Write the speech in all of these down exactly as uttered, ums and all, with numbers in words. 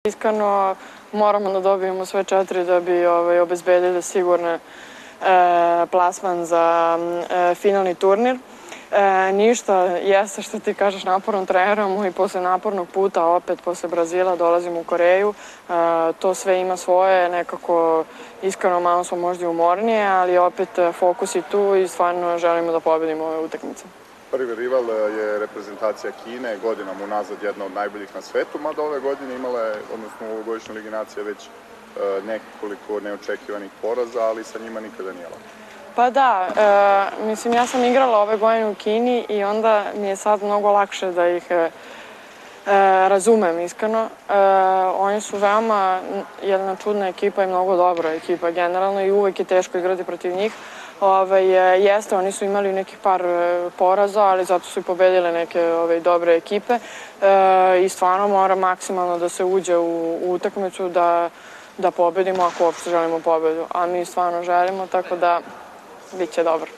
Iskreno, moramo da dobijemo sve četiri da bi obezbedili sigurne plasman za finalni turnir. Ništa, jeste što ti kažeš, naporno treniramo i posle napornog puta, opet posle Brazila dolazimo u Koreju. To sve ima svoje, nekako iskreno malo smo možda i umornije, ali opet fokus je tu i stvarno želimo da pobedimo ove utakmice. Prvi rival je reprezentacija Kine, godinama unazad jedna od najboljih na svetu, mada ove godine imala je, odnosno u ovogodišnjoj Ligi nacija, već nekoliko neočekivanih poraza, ali sa njima nikada nije lako. Pa da, mislim, ja sam igrala ove godine u Kini i onda mi je sad mnogo lakše da ih razumem, iskreno. Oni su veoma jedna čudna ekipa i mnogo dobra ekipa generalno i uvek je teško igrati protiv njih. Jeste, oni su imali nekih par poraza, ali zato su i pobedile neke dobre ekipe i stvarno mora maksimalno da se uđe u utakmicu da pobedimo ako uopšte želimo pobedu, a mi stvarno želimo, tako da bit će dobro.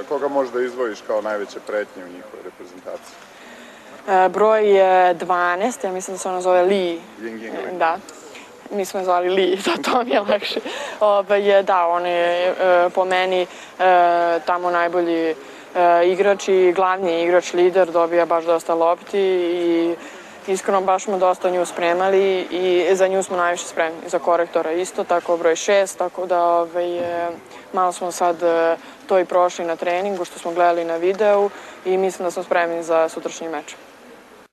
Koga možda izdvojiš kao najveće pretnje u njihovoj reprezentaciji? Broj dvanaest, ja mislim da se ona zove Li. Yingying. Da. Mi smo je zvali Li, to mi je lakše. Da, on je po meni tamo najbolji igrač i glavni igrač, lider, dobija baš dosta lopti i iskreno baš smo dosta nju spremali i za nju smo najviše spremni. Za korektora isto, tako broj šest, tako da malo smo sad to i prošli na treningu što smo gledali na videu i mislim da smo spremni za sutrašnji meč.